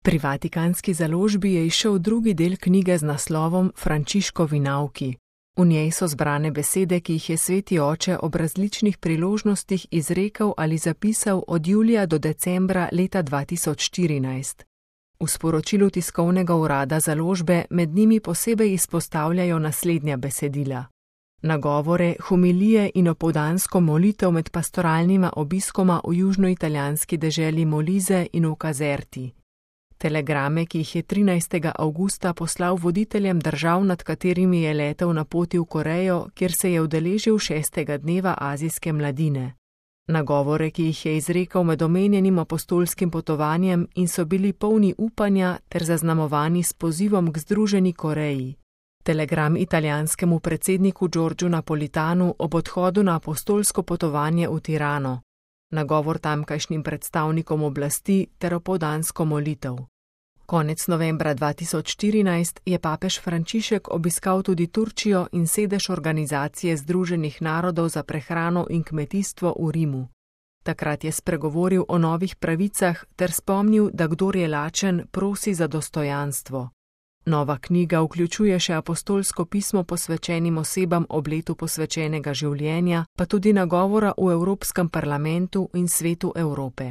Pri Vatikanski založbi je izšel drugi del knjige z naslovom Frančiškovi nauki. V njej so zbrane besede, ki jih je sveti oče ob različnih priložnostih izrekel ali zapisal od julija do decembra leta 2014. V sporočilu tiskovnega urada založbe med njimi posebej izpostavljajo naslednja besedila: nagovore, homilije in opoldansko molitev med pastoralnima obiskoma v južnoitalijanski deželi Molise in v Caserti. Telegrame, ki jih je 13. avgusta poslal voditeljem držav, nad katerimi je letel na poti v Korejo, kjer se je udeležil 6. dneva azijske mladine. Nagovore, ki jih je izrekel med omenjenim apostolskim potovanjem in so bili polni upanja ter zaznamovani s pozivom k združeni Koreji. Telegram italijanskemu predsedniku Giorgiu Napolitanu ob odhodu na apostolsko potovanje v Tirano. Nagovor tamkajšnjim predstavnikom oblasti ter opoldansko molitev. Konec novembra 2014 je papež Frančišek obiskal tudi Turčijo in sedež Organizacije Združenih narodov za prehrano in kmetijstvo v Rimu. Takrat je spregovoril o novih pravicah ter spomnil, da kdor je lačen, prosi za dostojanstvo. Nova knjiga vključuje še apostolsko pismo posvečenim osebam ob letu posvečenega življenja, pa tudi nagovora v Evropskem parlamentu in Svetu Evrope.